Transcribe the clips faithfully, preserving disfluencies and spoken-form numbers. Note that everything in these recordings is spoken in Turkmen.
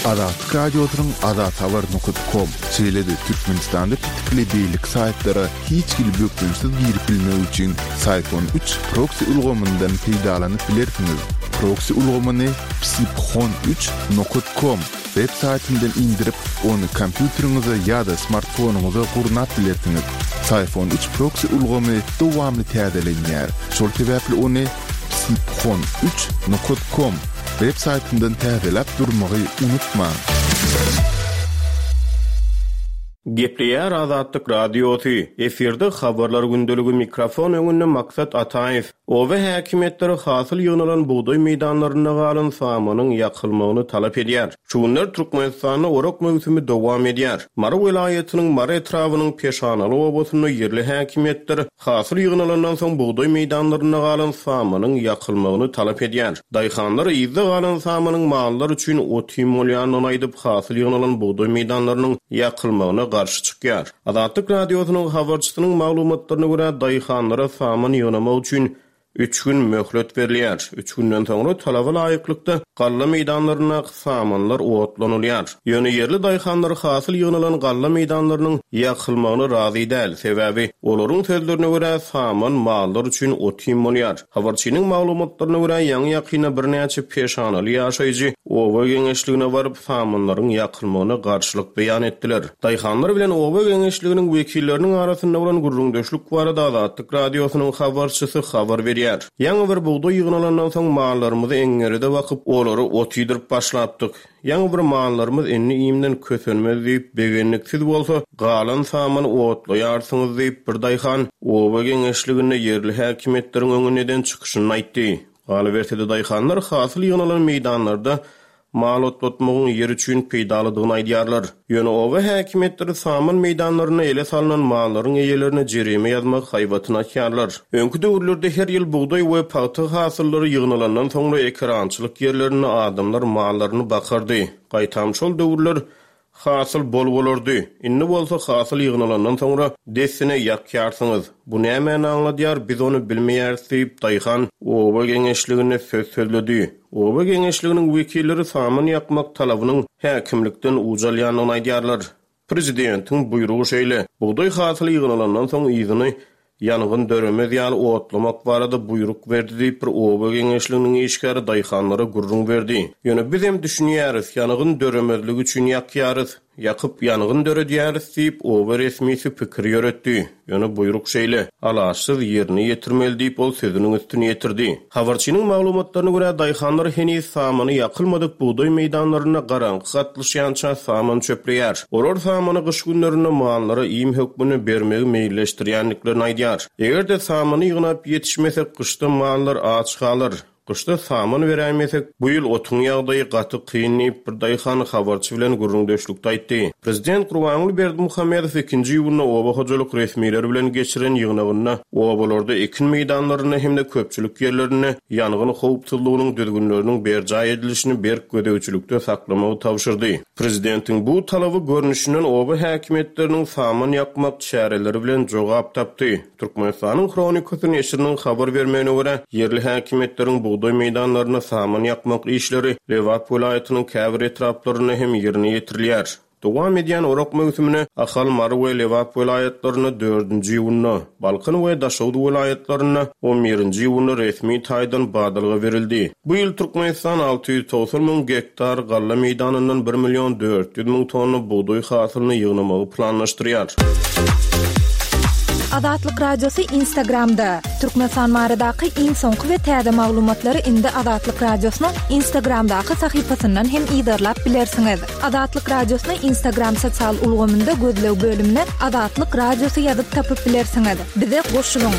Azatlyk Radiosynyň azathabar nokat kom, şeýle-de Türkmenistanda petikli beýleki saýtlara hiç hili bökdençsiz girip bilmek üçin Syfon üç proksi ulgamyndan peýdalanyp bilersiňiz. Proksi ulgamyny psiphon üç nokat kom web saýtyndan indirip, ony kompýuteriňize ýa-da smartfonyňyza gurnap bilersiňiz. Syfon üç proksi ulgamy dowamly täzelenýär. Şol sebäpli ony psiphon üç nokat kom web saýtyndan täzeläp durmagy unutmaň. Gepleýär Azatlyk Radiosy. Efirde habarlar gündeligi mikrofon öňünde Maksat Ataýew. Oba häkimiýetleri hasyl ýygnalan bugdaý meýdanlarynda galan samanyň ýakylmagyny talap edýär. Şu günler Türkmenistanda orak möwsümi dowam edýär. Mary welaýatynyň Mary etrabynyň Peşanaly obasynda ýerli häkimiýetler hasyl ýygnalandan soň bugdaý meýdanlarynda galan samanyň ýakylmagyny talap edýär. Daýhanlar yzda galan samanyň mallar üçin ot-iým bolýandygyny aýdyp, hasyl ýygnalan bugdaý meýdanlarynyň ýakylmagyna garşy çykýar. Azatlyk Radiosynyň habarçysynyň maglumatlaryna görä, daýhanlara saman ýygnamak üçin üç gün möhlet berilýär. Üç günden soňra talaba laýyklykda galla meýdanlaryndaky samanlar otlanylýar. Ýöne ýerli daýhanlar hasyl ýygnalan galla meýdanlarynyň ýakylmagyna razy däl. Sebäbi olaryň sözlerine görä saman mallar üçin ot-iým bolýar. Habarçynyň maglumatlaryna görä, ýaňy-ýakynda birnäçe peşanaly ýaşaýjy oba geňeşligine baryp samanlaryň ýakylmagyna garşylyk beýan etdiler. Daýhanlar bilen oba geňeşliginiň wekilleriniň arasynda bolan gürrüňdeşlik barada Azatlyk Radiosynyň habarçysy habar berýär. Ýaňy bir bugdaý ýygnalandan soň mallarymyzy eňňeride bakyp, olary ot iýdirip başlapdyk. Ýaňy bir mallarymyz indi iýmden kösenmez diýip, begenliksiz bolsa, galan samany otlaýarsyňyz diýip, bir daýhan oba geňeşliginde ýerli häkimiýetleriň öňünde eden çykyşyny aýtdy. Galyberse-de daýhanlar hasyl ýygnalan meýdanlarda mal otlatmagyň ýer üçin peýdalydygyny aýdýarlar. Ýöne oba häkimiýetleri saman meýdanlaryna ele salynan mallaryň eýelerine jerime ýazmak haýbatyny atýarlar. Öňki döwürlerde her ýyl bugdaý we pagta hasyllary ýygnalandan soňra ekerançylyk ýerlerinde adamlar mallaryny bakardy. Gaýtam şol döwürler hasyl bol bolardy. Indi bolsa hasyl ýygnalandan soňra dessine ýakýarsyňyz. Bu nämäni aňladýar, biz ony bilmeýäris diýip, daýhan oba geňeşliginde söz sözledi. Oba geňeşliginiň wekilleri saman ýakmak talabynyň häkimlikden ucalýandygyny aýdýarlar. Prezidentiň buýrugy şeýle: bugdaý hasyly ýygnalandan soň yzyny ýangyn döremez ýaly otlamak barada buýruk berdi diýip bir oba geňeşliginiň işgäri daýhanlara gürrüň berdi. Ýöne biz hem düşünýäris, ýangyn döremezligi üçin ýakýarys, ýakyp ýangyn döredýäris diýip oba resmisi pikir ýöretdi. Ýöne buýruk şeýle, alaçsyz ýerine ýetirmeli diýip ol sözüniň üstüni ýetirdi. Habarçynyň maglumatlaryna görä daýhanlar heniz samany ýakylmadyk bugdaý meýdanlarynda garaňky gatlyşýança saman çöpleýär. Olar samany gyş günlerinde mallara iým hökmünde bermegi meýilleşdirýändiklerini aýdýar. Eger-de samany ýygnap ýetişmesek, gyşda mallar aç galar. Gyşda saman beräýmesek, bu ýyl otuň ýagdaýy gaty kyn diýip bir daýhan habarçy bilen gürrüňdeşlikde aýtdy. Prezident Gurbanguly Berdimuhamedow ikinji iýunda oba hojalyk resmileri bilen geçiren ýygnagynda obalarda ekin meýdanlarynda hem-de köpçülik ýerlerinde ýangyn howpsuzlygynyň düzgünleriniň berjaý edilişini berk gözegçilikde saklamagy tabşyrdy. Prezidentiň bu talaby görnüşinden oba häkimiýetleriniň saman ýakmak çäreleri bilen jogap tapdy. Türkmenistanyň Hronikasy neşiriniň habar bermegine görä, ýerli häkimiýetleriň bugdaý meýdanlarynda saman ýakmak işleri Lebap welaýatynyň käbir etraplarynda hem ýerine ýetirilýär. Dowam edýän orak möwsümine Ahal, Mary we Lebap welaýatlarynda dördünji iýunda, Balkan we Daşoguz welaýatlarynda on birinji iýunda resmi taýdan badalga berildi. Bu ýyl Türkmenistan alty ýüz togsan müň gektar galla meýdanyndan bir million dört ýüz müň tonna bugdaý hasylyny ýygnamagy planlaşdyrýar. Azatlyk Radiosy Instagramda. Türkmenistan baradaky iň soňky we täze maglumatlary indi Azatlyk Radiosynyň Instagramdaky sahypasyndan hem yzarlap bilersiňiz. Azatlyk Radiosyny Instagram sosial ulgamynda gözleg bölümine Azatlyk Radiosy ýazyp tapyp bilersiňiz. Bize goşulyň.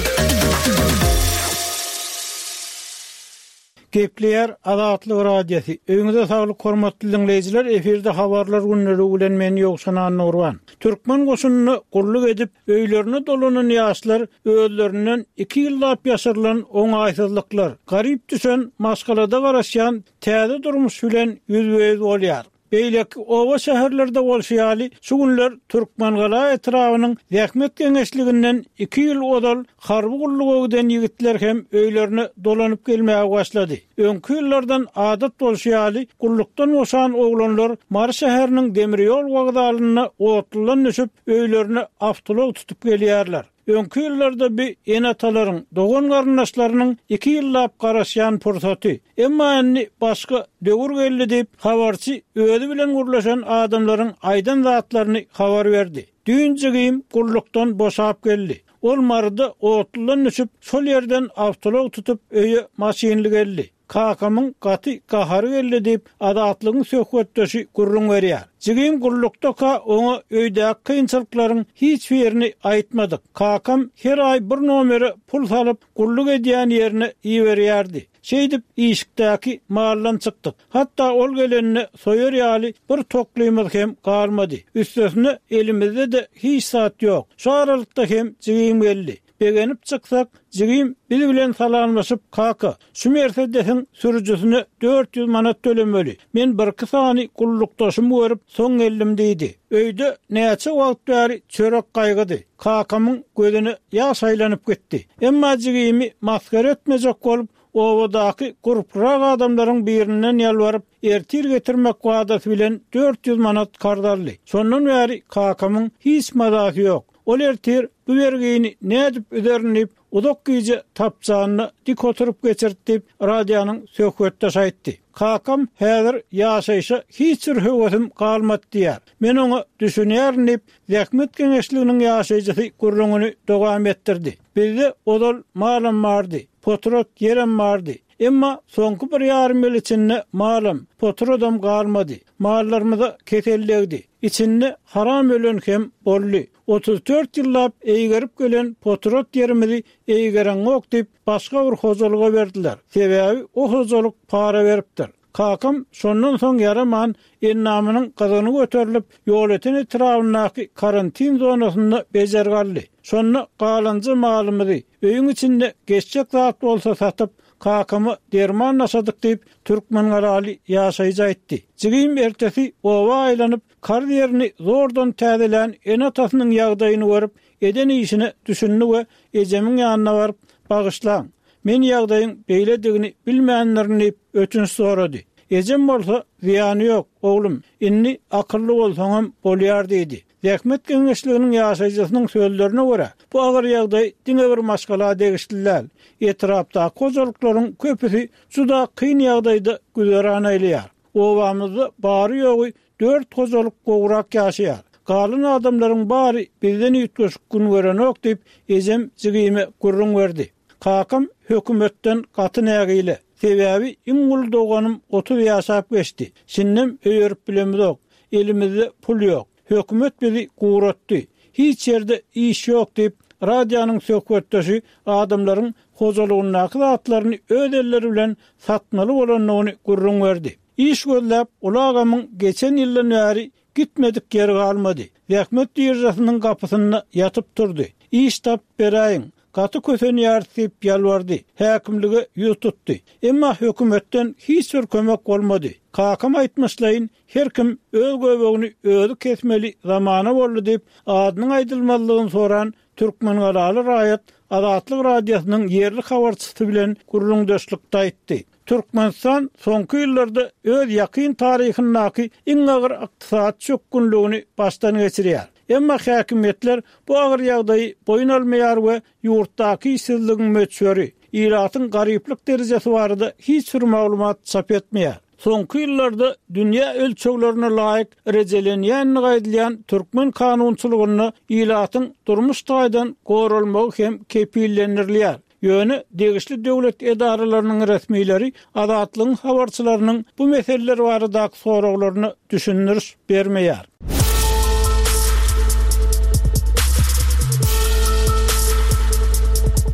Gepleýär Azatlyk Radiosy. Öýüňize saglyk hormatly dinleýjiler, efirde habarlar günleri bilen men Ýowşan Annurban. Türkmen goşunyna gulluk edip, öýlerine dolanan ýaşlar özlerinden iki ýyllap ýaşarylan oňaýsyzlyklar, garyp düşen maşgalada garaşýan täze durmuş bilen ýüzbe-ýüz bolýar. Beýleki oba-şäherlerde bolşy ýaly, şu günler Türkmengala etrabynyň Zähmet geňeşliginden iki ýyl ozal harby gulluga giden ýigitler hem öýlerine dolanyp gelmäge başlady. Öňki ýyllardan adat bolşy ýaly, gullukdan boşan oglanlar Mary şäheriniň demirýol wokzalynda otludan düşüp, öýlerine awtoulag tutup gelýärler. Öňki ýyllarda bi ene-atalaryň, dogan garyndaşlarynyň iki ýyllap garaşýan pursaty. Emma indi başga döwür geldi diýip, habarçy özi bilen gürleşen adamlaryň aýdan zatlaryny habar berdi. Düýn jigim gullukdan boşap geldi. Ol Maryda otludan düşüp, şol ýerden awtoulag tutup öýe maşynly geldi. Kakamyň gaty gahary geldi diýip, Azatlygyň söhbetdeşi gürrüň berýär. Jigim gullukdaka oňa öýdäki kynçylyklaryň hiç birini aýtmadyk. Kakam her aý bir nomere pul salyp, gulluk edýän ýerine iberýärdi. Şeýdip işikdäki maldan çykdyk. Hatda ol gelenine soýar ýaly bir toklymyz hem galmady. Üstesine elimizde-de hiç zat ýok. Şu aralykda hem jigim geldi. Begenip çyksak, jigim biz bilen salamlaşyp, kaka, şu Mercedesiň sürüjisine dört ýüz manat tölemeli. Men birki sany gullukdaşymy görüp, soň geldim diýdi. Öýde näçe wagt bäri çörek gaýgydy. Kakamyň gözüne ýaş aýlanyp gitdi. Emma jigimi maskara etmejek bolup, obadaky gurprak adamlaryň birinden ýalbaryp, ertir getirmek wadasy bilen dört ýüz manat karz aldy. Şondan bäri kakamyň hiç mazasy ýok. Ol ertir bu bergini nädip üzerin diýip, uzak gije tapçanyna dik oturyp geçirdi diýip, radionyň söhbetdeşi aýtdy. Kakam häzir ýaşaýşa hiç bir höwesim galmady diýär. Men oňa düşünýärin diýip, Zähmet geňeşliginiň ýaşaýjysy gürrüňini dowam etdirdi. Bizde ozal malam bardy, potrat ýerem bardy. Emma soňky bir ýarym ýyl içinde malam, potradam galmady. Mallarymyza kesellegdi. Içinde haram ölen hem boldy. Otuz dört ýyllap eýgerip gelen potrat ýerimizi eýgereňok diýip, başga bir hojalyga berdiler. Sebäbi o hojalyk para beripdir. Kakam şondan soň ýaraman, endamynyň gyzyny göterilip, Ýolöten etrabyndaky karantin zonasynda bejergi aldy. Şonda galanja malymyzy öýüň içinde geçjek zat bolsa satyp, kakama derman naşadyk diýip, Türkmengalaly ýaşaýjy aýtdy. Jigim ertesi oba aýlanyp, karz ýerini zordan täzelän ene-atasynyň ýagdaýyny görüp, eden işine düşündi we ejemiň ýanyna baryp, bagyşlaň, men ýagdaýyň beýledigini bilmändirin diýip, ötünç sorady. Ejem bolsa, zyýany ýok, oglum, indi akylly bolsaňam bolýar diýdi. Zähmet geňeşliginiň ýaşaýjysynyň sözlerine görä, bu agyr ýagdaý diňe bir maşgala degişli däl. Etrapdaky hojalyklaryň köpüsi juda kyn ýagdaýda güzeran aýlaýar. Obamyzda bary-ýogy dört hojalyk gowrak ýaşaýar. Galan adamlaryň bary bizden üýtgeşik gün görenok diýip, ejem jigime gürrüň berdi. Kakam hökümetden gaty nägile. Sebäbi iň uly doganym otuz ýaşap geçdi. Şindem öýerip bilemizok. Elimizde pul ýok. Hökümet bizi guratdy. Hiç ýerde iş ýok diýip, radionyň söhbetdeşi adamlaryň hojalygyndaky zatlaryny öz elleri bilen satmaly bolandygyny gürrüň berdi. Iş gözläp, uly agamyň geçen ýyldan bäri gitmedik ýeri galmady. Zähmet biržasynyň gapysynda ýatyp turdy. Iş tapyp beräýiň, gaty kösenýäris diýip ýalbardy. Häkimlige ýüz tutdy. Emma hökümetden hiç bir kömek bolmady. Kakam aýtmyşlaýyn, her kim öz göbegini özi kesmeli zamana boldy diýip, adynyň aýdylmazlygyny soran Türkmengalaly raýat Azatlyk Radiosynyň ýerli habarçysy bilen gürrüňdeşlikde aýtdy. Türkmenistan soňky ýyllarda öz ýakyn taryhyndaky iň agyr ykdysady çökgünligini başdan geçirýär. Emma häkimiýetler bu agyr ýagdaýy boýun almaýar we ýurtdaky işsizligiň möçberi, ilatyň garyplyk derejesi barada hiç bir maglumat çap etmeýär. Soňky ýyllarda dünýä ölçeglerine laýyk rejelenýändigi aýdylýan türkmen kanunçylygynda ilatyň durmuş taýdan goralmagy hem kepillendirilýär. Ýöne degişli döwlet edaralarynyň resmileri Azatlygyň habarçylarynyň bu meseleler baradaky soraglaryna düşündiriş bermeýär.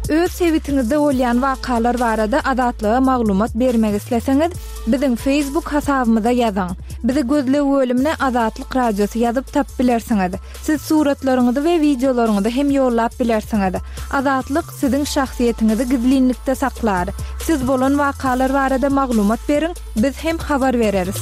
Öz sebitiňizde bolýan wakalar barada Azatlyga maglumat bermek isleseňiz, biziň Facebook hasabymyza ýazyň. Bizi gözleg bölümine Azatlyk Radiosy ýazyp tapyp bilersiňiz. Siz suratlaryňyzy we wideolaryňyzy hem ýollap bilersiňiz. Azatlyk siziň şahsyýetiňizi gizlinlikde saklar. Siz bolan wakalar barada maglumat beriň, biz hem habar bereris.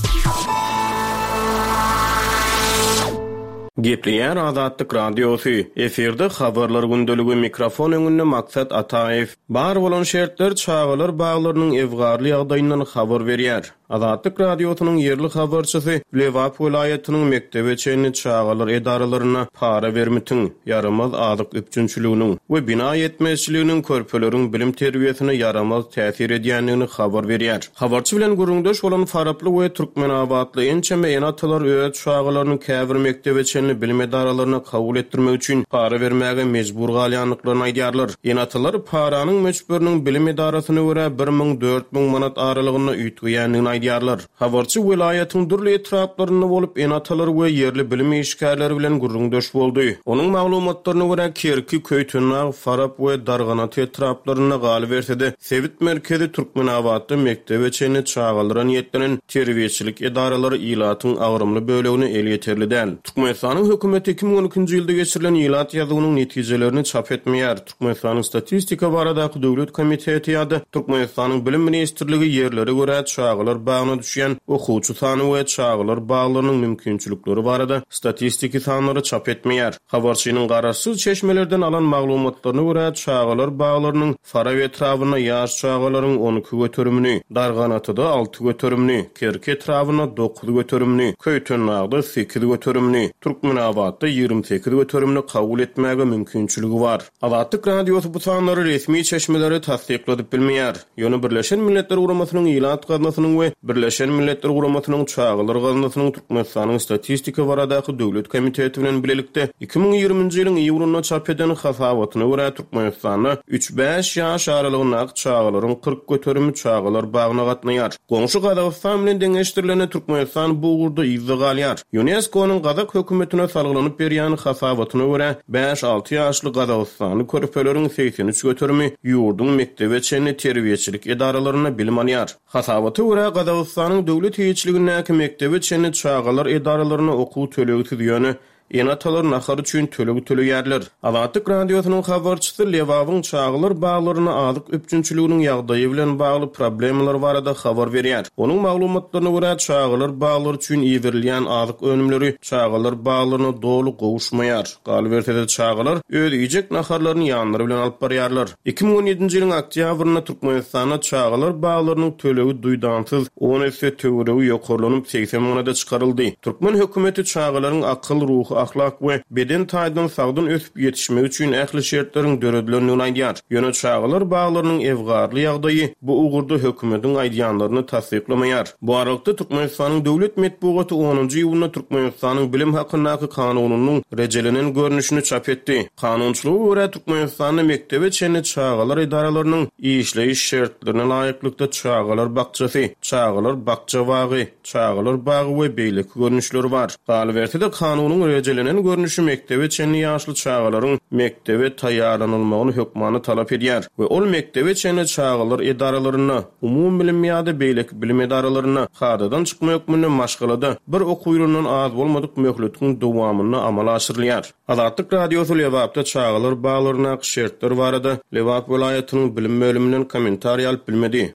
Gepleýär Azatlyk Radiosy, efirde Habarlar gündeligi, mikrofon öňünde Maksat Ataýew. Bar bolan şertler çagalar baglarynyň ewgarly ýagdaýyndan habar berýär. Azatlyk Radiosynyň ýerli habarçysy Lebap welaýatynyň mekdebe çenli çagalar edaralaryna para bermitiň, ýaramaz azyk üpjünçiliginiň we bina ýetmezçiliginiň körpeleriň bilim terbiýesine ýaramaz täsir edýändigini habar berýär. Habarçy bilen gürrüňdeş bolan Faraply we Türkmenabatly ençeme ene-atalar öz çagalaryny käbir mekdebe çenli bilim edaralaryna kabul etdirmek üçin para bermäge mejbur galýandyklaryny aýdýarlar. Ene-atalar paranyň möçberiniň bilim edarasyna görä bir müň dört müň manat aralygynda üýtgeýändigini aýdýarlar. Habarçy welaýatyň dürli etraplarynda bolup, ene-atalar we ýerli bilim işgärleri bilen gürrüňdeş boldy. Onuň maglumatlaryna görä, Kerki, Köýtendag, Farap we Darganat etraplarynda galyberse-de, sebit merkezi Türkmenabatda mekdebe çenli çagalara niýetlenen terbiýeçilik edaralary ilatyň agramly bölegine elýeterli däl. Türkmenistanyň hökümeti iki müň on ikinji ýylda geçirilen ilat ýazuwynyň netijelerini çap etmeýär. Türkmenistanyň Statistika baradaky döwlet komiteti ýa-da Türkmenistanyň Bilim ministrligi ýerlere görä çagalar bagyna düşýän okuwçy sany we çagalar baglarynyň mümkinçilikleri barada statistiki sanlary çap etmeýär. Habarçynyň garaşsyz çeşmelerden alan maglumatlaryna görä, çagalar baglarynyň Farap etrabynda ýaş çagalaryň on iki göterimini, Darganatyda alty göterimini, Kerki etrabynda dokuz göterimini, Köýtendagda sekiz göterimini, Türkmenabatda ýigrimi sekiz göterimini kabul etmäge mümkinçiligi bar. Azatlyk Radiosy bu sanlary resmi çeşmeleri tassykladyp bilmeýär. Ýöne Birleşen Milletler Guramasynyň Ilat Gaznasynyň we Birleşen Milletler Guramasynyň Çagalar Gaznasynyň Türkmenistanyň Statistika baradaky döwlet komiteti bilen bilelikde iki müň ýigriminji ýylyň iýulynda çap eden hasabatyna görä Türkmenistanda üç-bäş ýaş aralygyndaky çagalaryň kyrk göterimi çagalar bagyna gatnaýar. Goňşy Gazagystan bilen deňeşdirilende Türkmenistan bu ugurda yzda galýar. UNESCO-nyň Gazak hökümetine salgylanyp berýän hasabatyna görä bäş-alty ýaşly Gazagystanly körpeleriň segsen üç göterimi ýurduň mekdebe çenli terbiýeçilik edaralarynda bilim alýar. Hasabata görä Gazagystanyň döwlet eýeçiligindäki mekdebe çenli çagalar edaralaryna okuw tölegsiz ýöne ene-atalar nahar üçin töleg töleýärler. Azatlyk Radiosynyň habarçysy Lebabyň çagalar baglaryna azyk üpjünçiliginiň ýagdaýy bilen bagly problemalar barada habar berýär. Onuň maglumatlaryna görä çagalar baglary üçin iberilýän azyk önümleri çagalar baglaryna doly gowuşmaýar. Galyberse-de çagalar öz iýjek naharlaryny ýanlary bilen alyp barýarlar. iki müň on ýedinji ýylyň oktýabrynda Türkmenistanda çagalar baglarynyň tölegi duýdansyz on esse töweregi ýokarlanyp segsen manada çykaryldy. Türkmen hökümeti çagalaryň akyl, ruhy, ahlak we beden taýdan sagdyn ösüp ýetişmegi üçin ähli şertleriň döredilendigini aýdýar. Ýöne çagalar baglarynyň ewgarly ýagdaýy bu ugurda hökümetiň aýdýanlaryny tassyklamaýar. Bu aralykda Türkmenistanyň döwlet metbugaty onunjy iýunda Türkmenistanyň bilim hakyndaky kanunynyň rejelenen görnüşini çap etdi. Kanunçylyga görä Türkmenistanda mekdebe çenli çagalar edaralarynyň işleýiş şertlerine laýyklykda çagalar bakçasy, çagalar bakça bagy, çagalar bagy we beýleki görnüşleri bar. Galyberse-de kanunyň rejelenen görnüşi mekdebe çenli ýaşly çagalaryň mekdebe taýýarlanylmagyny hökmany talap edýär we ol mekdebe çenli çagalar edaralarynda, umumy bilim ýa-da beýleki bilim edaralarynda kadadan çykma hökmünde maşgalada bir okuw ýylyndan az bolmadyk möhletiň dowamynda amala aşyrylýar. Azatlyk Radiosy Lebapda çagalar baglaryndaky şertler barada Lebap welaýatynyň bilim bölüminden kommentariý alyp bilmedi.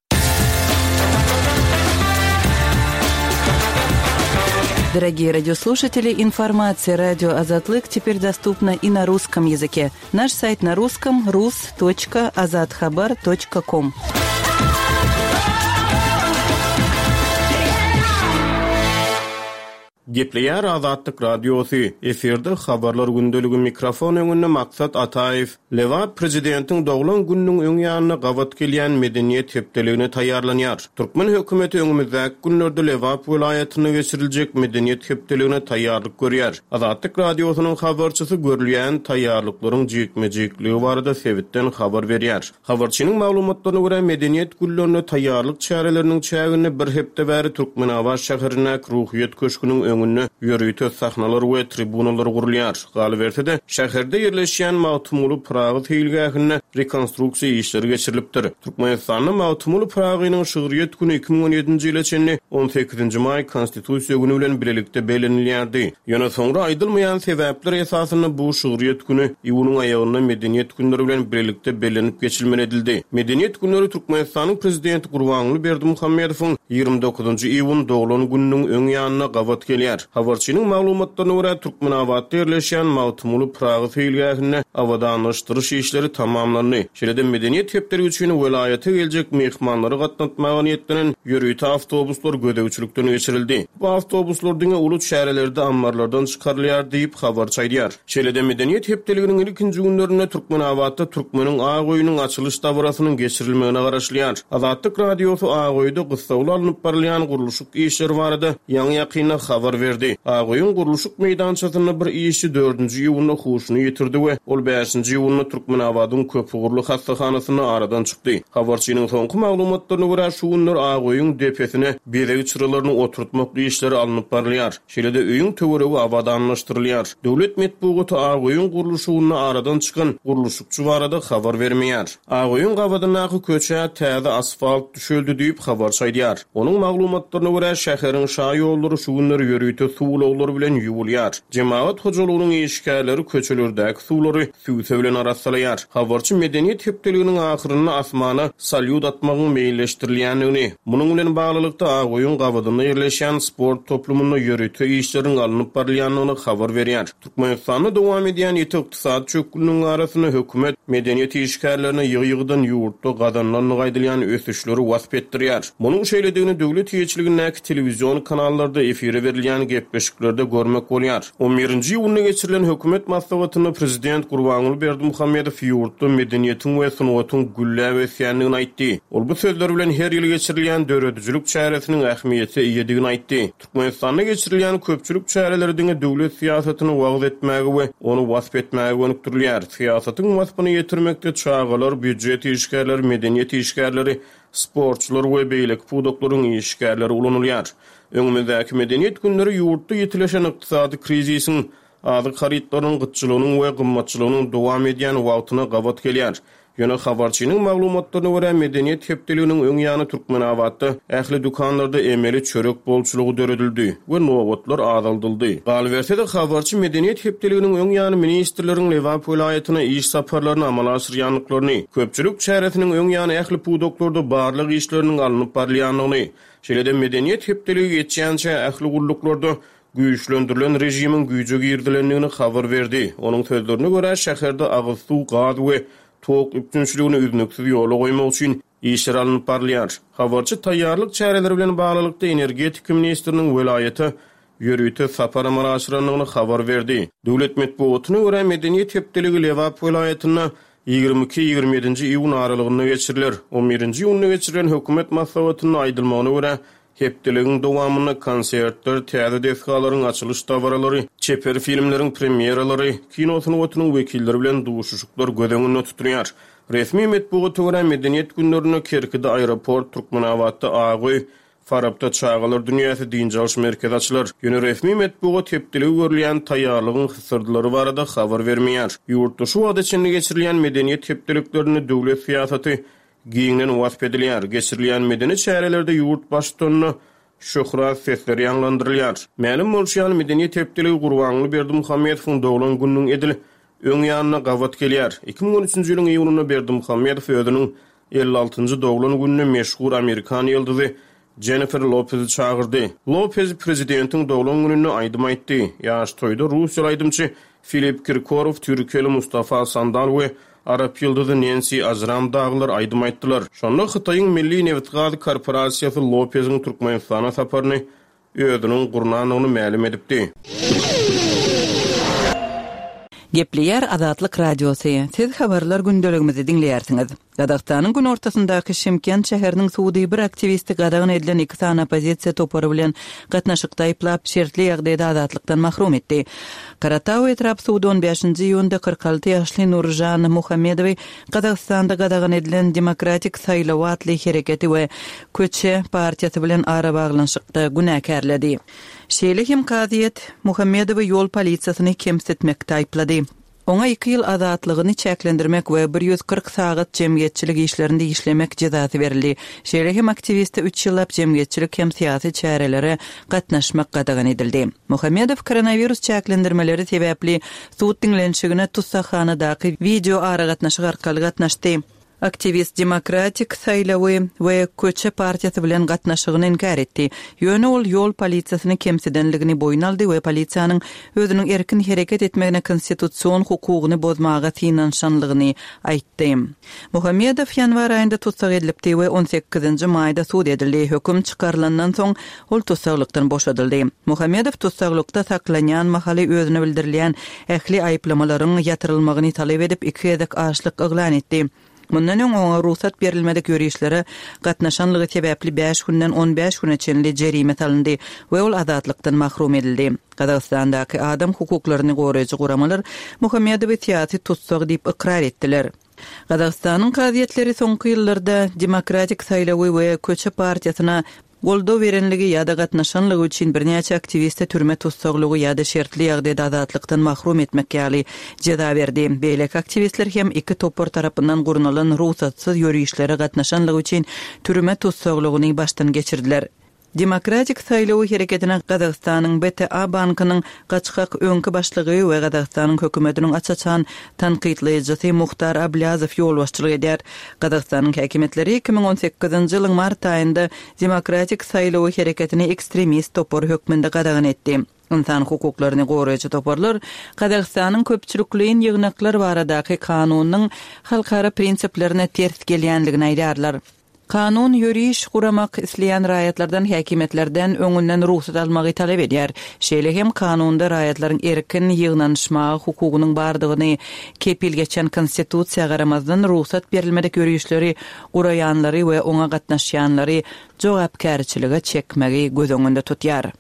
Дорогие радиослушатели, информация радио Азатлык теперь доступна и на русском языке. Наш сайт на русском рус точка азатхабар точка ком. Gepleýär Azatlyk Radiosy, efirde habarlar gündeligi mikrofon öňünde Maksat Ataýew. Lebap prezidentiň doglan gününiň öň ýanyna gabat gelýän medeniýet hepdeligine taýýarlanýar. Türkmen hökümeti öňümizdäki günlerde Lebap welaýatynda geçiriljek medeniýet hepdeligine taýýarlyk görýär. Azatlyk Radiosynyň habarçysy görülýän taýýarlyklaryň jikme-jikligi barada sebitden habar berýär. Habarçynyň maglumatlaryna görä medeniýet günlerine taýýarlyk çäreleriniň çäginde bir hepde bäri Türkmenabat şäherindäki Ruhyýet köşgüniň öňünde ýörite sahnalar we tribunalar gurulýar. Galyberse-de şäherde ýerleşýän Magtymguly Pyragy seýilgähinde rekonstruksiýa işleri geçirilipdir. Türkmenistanda Magtymguly Pyragynyň şygryýet güni iki müň on ýedinji ýyla çenli on sekizinji maý Konstitusiýa güni bilen bilelikde bellenilýärdi. Ýöne soňra aýdylmaýan sebäpler esasynda bu şygryýet güni iýunyň aýagynda medeniýet günleri bilen bilelikde bellenip geçilmeli edildi. Medeniýet günleri Türkmenistanyň prezidenti Gurbanguly Berdimuhamedowyň ýigrimi dokuzynjy iýun doglan gününiň öň ýanyna gabat gelýär. edilýär. Habarçynyň maglumatlaryna görä, Türkmenabatda ýerleşýän Magtymguly Pyragy seýilgähinde abadanlaşdyryş işleri tamamlandy. Şeýle-de Medeniýet hepdeligi üçin welaýata geljek myhmanlary gatnatmaga niýetlenen ýörite awtobuslar gözegçilikden geçirildi. Bu awtobuslar diňe uly çärelerde ammarlardan çykarylýar diýip, habarçy aýdýar. Şeýle-de Medeniýet hepdeliginiň ilkinji günlerinde Türkmenabatda Türkmeniň ak öýüniň açylyş dabarasynyň geçirilmegine garaşylýar. Azatlyk Radiosy Ak öýde gyssagly alnyp barylýan gurluşyk işleri barada ýaňy-ýakynda habar berdi. Ak öýüň gurluşyk meýdançasynda bir işçi dördünji iýunda huşuny ýitirdi we ol bäşinji iýunda Türkmenabadyň köpugurly hassahanasynda aradan çykdy. Habarçynyň soňky maglumatlaryna görä, şu günler Ak öýüň depesine bezeg çyralaryny oturtmak işleri alnyp barylýar. Şeýle-de öýüň töweregi abadanlaşdyrylýar. Döwlet metbugaty Ak öýüň gurluşygynda aradan çykan gurluşykçy barada habar bermeýär. Ak öýüň gabadyndaky köçä täze asfalt düşeldi diýip, habarçy aýdýar. Onuň maglumatlaryna görä, şäheriň şa ýollary şu günler ýörite suw ulaglary bilen ýuwulýar. Jemagat hojalygynyň işgärleri köçelerdäki suwlary süwse bilen arassalaýar. Habarçy Medeniýet hepdeliginiň ahyrynda asmana salýut atmagyň meýilleşdirilýändigini, munuň bilen baglylykda Ak öýüň gabadynda ýerleşýän sport toplumynda ýörite işleriň alnyp barylýandygyny habar berýär. Türkmenistanda dowam edýän ýiti ykdysady çökgünligiň arasynda hökümet medeniýet işgärlerine ýygy-ýygydan ýurtda gazanylandygy aýdylýan ösüşleri wasp etdirýär. Munuň şeýledigini döwlet eýeçiligindäki telewizion kanallarda efire berilýän gepleşiklerde görmek bolýar. On birinji iýunda geçirilen hökümet maslahatynda prezident Gurbanguly Berdimuhamedow ýurtda medeniýetiň we sungatyň gülläp ösýändigini aýtdy. Ol bu sözler bilen her ýyl geçirilýän döredijilik çäresiniň ähmiýete eýedigini aýtdy. Türkmenistanda geçirilýän köpçülik çäreleri diňe döwlet syýasatyny wagyz etmäge we ony wasp etmäge gönükdirilýär. Syýasatyň waspyny ýetirmekde çagalar, býujet işgärleri, medeniýet işgärleri, sportçular we beýleki pudaklaryň işgärleri ulanylýar. Öňümizdäki medeniýet günleri ýurtda ýitileşen ykdysady krizisiň, azyk harytlarynyň gytçylygynyň we gymmatçylygynyň dowam edýän wagtyna gabat gelýär. Ýöne habarçynyň maglumatlaryna görä, Medeniýet hepdeliginiň öň ýany Türkmenabatda ähli dükanlarda emeli çörek bolçulygy döredildi we nobatlar azaldyldy. Galyberse-de, habarçy Medeniýet hepdeliginiň öň ýany ministrleriň Lebap welaýatyna iş saparlaryny amala aşyrýandyklaryny, köpçülik çäresiniň öň ýany ähli pudaklarda barlag işleriniň alnyp barylýandygyny, şeýle-de Medeniýet hepdeligi geçýänçä ähli gulluklarda güýçlendirilen režimiň güýje girizilendigini habar berdi. Onuň sözlerine görä, şäherde agyz suw, gaz we tok üpjünçiligini üznüksiz ýola goýmak üçin işler alnyp barylýar. Habarçy taýýarlyk çäreleri bilen baglylykda energetika ministriniň welaýata ýörite sapar amala aşyrandygyny habar berdi. Döwlet metbugatyna görä, Medeniýet hepdeligi Lebap welaýatynda ýigrimi iki, ýigrimi ýedinji iýun aralygynda geçiriler. On birinji iýunda geçirilen hökümet maslahatynda aýdylmagyna görä, hepdeligiň dowamynda konsertler, täze desgalaryň açylyş dabaralary, çeper filmleriň premýeralary, kino sungatynyň wekilleri bilen duşuşyklar göz öňünde tutulýar. Resmi metbugata görä, Medeniýet günlerinde Kerkide aeroport, Türkmenabatda Ak öý, Farapda Çagalar dünýäsi dynç alyş merkezi açylar. Ýöne resmi metbugat hepdeligi görülýän taýýarlygyň hysyrdylary barada habar bermeýär. Ýurtda şu wagta çenli geçirilýän medeniýet hepdeliklerinde döwlet syýasaty giňden wasp edilýär. Geçirilýän medeni çärelerde ýurt baştutanyna şöhrat sesleri ýaňlandyrylýar. Mälim bolşy ýaly, Medeniýet hepdeligi Gurbanguly Berdimuhamedowyň doglan gününiň edil öň ýanyna gabat gelýär. Iki müň on üçünji ýylyň iýunynda Berdimuhamedow özüniň elli altynjy doglan gününe meşhur amerikan ýyldyzy Jennifer Lopezi çagyrdy. Lopez prezidentiň doglan gününde aýdym aýtdy. Ýaş toýda russiýaly aýdymçy Filip Kirkorow, türkiýeli Mustafa Sandal we arap ýyldyzy Nensi Ajram dagylar aýdym aýtdylar. Şonda Hytaýyň Milli nebitgaz korporasiýasy Lopeziň Türkmenistana saparyny özüniň gurnandygyny mälim edipdi. Gepleýär Azatlyk Radiosy. Siz habarlar gündeligimizi diňleýärsiňiz. Gazagystanyň günortasyndaky Şymkent şäheriniň sudy bir aktiwisti gadagan edilen iki sany oppozisiýa topary bilen gatnaşykda aýyplap, şertli ýagdaýda azatlykdan mahrum etdi. Karatau etrap sudy on bäşinji iýunda kyrk alty ýaşly Nurjan Muhammedowy Gazagystanda gadagan edilen Demokratik saýlaw atly hereketi we Köçe partiýasy bilen arabaglanyşykda günäkärledi. Şeýle hem kazyýet Muhammedowy ýol polisiýasyny kemsitmekde aýyplady. Oňa iki ýyl azatlygyny çäklendirmek we bir ýüz kyrk sagat jemgyýetçilik işlerinde işlemek jezasy berildi. Şeýle hem aktiwiste üç ýyllap jemgyýetçilik hem syýasy çärelere gatnaşmak gadagan edildi. Muhammedow koronawirus çäklendirmeleri sebäpli sud diňlenişigine tussaghanadaky wideo aragatnaşyk arkaly gatnaşdy. Aktiwist Demokratik saýlawy we Köçe partiýasy bilen gatnaşygyny inkär etdi. Ýöne ol ýol polisiýasyny kemsidenligini boýun aldy we polisiýanyň özüniň erkin hereket etmegine konstitusion hukugyny bozmaga synanyşanlygyny aýtdy. Muhammedow ýanwar aýynda tussag edilipdi we on sekizinji maýda sud edildi. Höküm çykarylandan soň ol tussaglykdan boşadyldy. Muhammedow tussaglykda saklanýan mahaly özüne bildirilýän ähli aýyplamalaryň ýatyrylmagyny talap edip iki gezek açlyk yglan etdi. Mundan öň oňa rugsat berilmedik ýörişlere gatnaşanlygy sebäpli bäş günden on bäş güne çenli jerime salyndy we ol azatlykdan mahrum edildi. Gazagystandaky adam hukuklaryny goraýjy guramalar Muhammedowy syýasy tussag diýip ykrar etdiler. Gazagystanyň kazyýetleri soňky ýyllarda Demokratik saýlawy we Köçe partiýasyna goldaw berenligi ýa-da gatnaşanlygy üçin birnäçe aktiwiste türme tussaglygy ýa-da şertli ýagdaýda azatlykdan mahrum etmek ýaly jeza berdi. Beýleki aktiwistler hem iki topar tarapyndan gurnalan rugsatsyz ýörişlere gatnaşanlygy üçin türme tussaglygyny başdan geçirdiler. Demokratik saýlawy hereketine Gazagystanyň B T A bankynyň gaçgak öňki başlygy we Gazagystanyň hökümetiniň aç-açan tankytlaýjysy Muhtar Ablýazow ýolbaşçylyk edýär. Gazagystanyň häkimiýetleri iki müň on sekizinji ýylyň mart aýynda Demokratik saýlawy hereketini ekstremist topary hökmünde gadagan etdi. Ynsan hukuklaryny goraýjy toparlar Gazagystanyň köpçülikleýin ýygnaklar baradaky kanunyň halkara prinsiplerine ters gelýänligini aýdýarlar. Kanun ýöriş guramak isleýän raýatlardan häkimiýetlerden öňünden rugsat almagy talap edýär. Şeýle hem kanunda raýatlaryň erkin ýygnanyşmaga hukugynyň bardygyny kepil geçen konstitusiýa garamazdan rugsat berilmedik ýörişleri guraýanlary we oňa gatnaşýanlary jogapkärçilige çekmegi göz öňünde tutýar.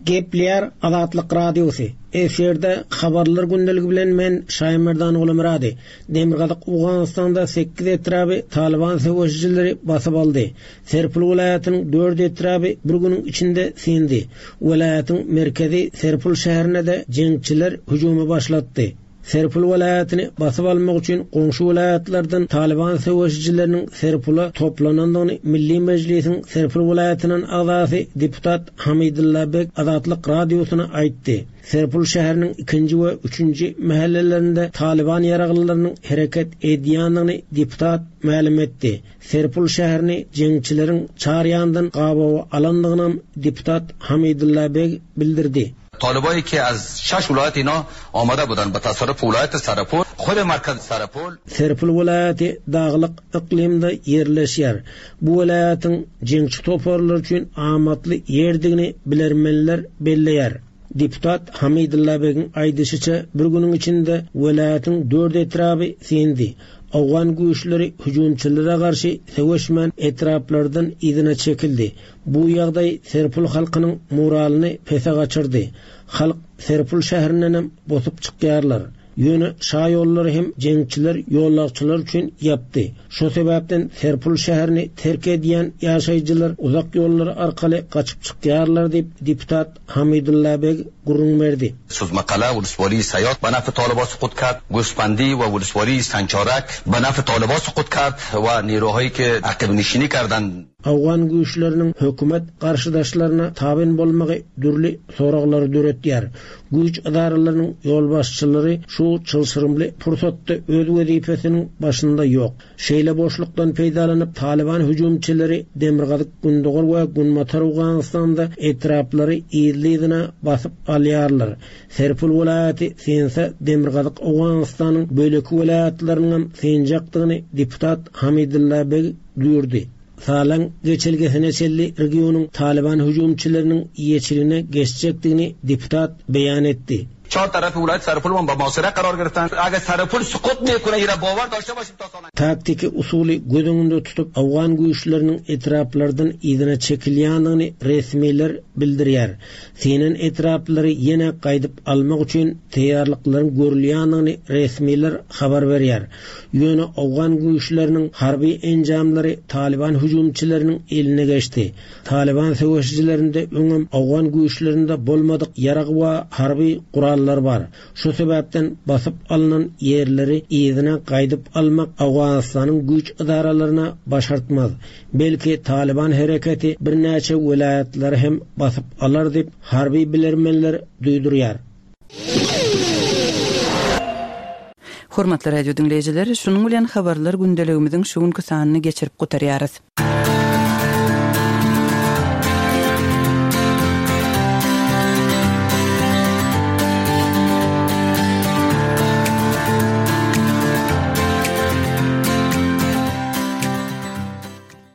Gepleýär Azatlyk Radiosy. Efirde habarlar gündeligi bilen men Şaýmerdan Gulmyrady. Demirgazyk Owganystanda sekiz etraby Taliban söweşijileri basyp aldy. Serpil welaýatynyň dört etraby bir günüň içinde sindi. Welaýatyň merkezi Serpil şäherine de jeňçiler hüjümi başlatdy. Serpil welaýatyny basyp almak üçin goňşy welaýatlardan Taliban söweşijileriniň Serpila toplanandygyny Milli Mejlisiň Serpil welaýatynyň agzasy deputat Hamidulla Bek Azatlyk Radiosyna aýtdy. Serpil şäheriniň ikinji we üçünji mahallelerinde Taliban ýaraglylarynyň hereket edýändigini deputat mälim etdi. Serpil şäherini jeňçileriň çar ýandan gabawa alandygyny deputat Hamidulla Bek bildirdi. طالبایی که از شش ولایت اینا آمده بودن به تصرف ولایت سرپل، خود مرکز سرپل. Serpil welaýaty daglyk yklymda ýerleşýär. Bu welaýatyň jeňçi toparlary üçin amatly ýerdigini bilermenler belleýär. Deputat Hamidulla Begiň aýdyşyça bir günüň içinde welaýatyň dört etraby sindi. Owgan güýçleri hüjümçilere garşy söweşmän etraplardan yzyna çekildi. Bu ýagdaý Serpil halkynyň moralyny pese gaçyrdy. Halk Serpil şäherinden hem bosup çykýarlar. Ýöne şaýollary hem jeňçiler ýollakçylar üçin ýapdy. Şo sebäpden Serpil şäherini terk edýän ýaşaýjylar uzak ýollar arkaly gaçyp çykýarlar diýip deputat Hamidulla Beg gürrüň berdi. Suzmaqala ولسوالی Sayat به نفع طالبان سقوط کرد، گوسفندی و ولسوالی Sancharak به نفع طالبان سقوط کرد و نیروهایی که عقب نشینی کردند. Owgan güýçleriniň hökümet garşydaşlaryna tabyn bolmagy dürli soraglary döretýär. Güýç edaralarynyň ýolbaşçylary şu çylşyrymly pursatda öz wezipesiniň başynda ýok. Şeýle boşlukdan peýdalanyp Taliban hüjümçileri Demirgazyk Gündogar we Günbatar Owganystanda etraplary ýerli-ýerine basyp alýarlar. Serpil welaýaty sense Demirgazyk Owganystanyň böleki welaýatlarynyň senjakdygyny deputat Hamidulla Beg duýurdy. Salan geçelgesine çelli regionyň Taliban hüjümçileriniň ýeçiligine geçjekdigini deputat beýan etdi. چهار طرف ولایت سرپل با محاصره قرار گرفتن. اگر سرپل سقوط میکنه ایرا باور داشته باشیم تا سال Taktiki usuly göz öňünde tutup Owgan güýçleriniň etraplardan yzyna çekilýändigini resmiler bildirýär. Senen etraplary ýene gaýdyp almak üçin taýýarlyklaryň görülýändigini resmiler habar berýär. Ýöne Owgan güýçleriniň harby enjamlary Taliban hüjümçileriniň eline geçdi. Taliban söweşijilerinde öňem Owgan güýçlerinde bolmadyk ýarag we harby gurallar bar. Şu sebäpden basyp alynan ýerleri yzyna gaýdyp almak Owganystanyň güýç edaralaryna başartmaz. Belki Taliban hereketi birnäçe welaýatlary hem basyp alar diýip harby bilermenler duýdurýar. Hormatly radio diňleýjiler, şunuň bilen habarlar gündeligimiziň şu günki sanyny geçirip gutarýarys.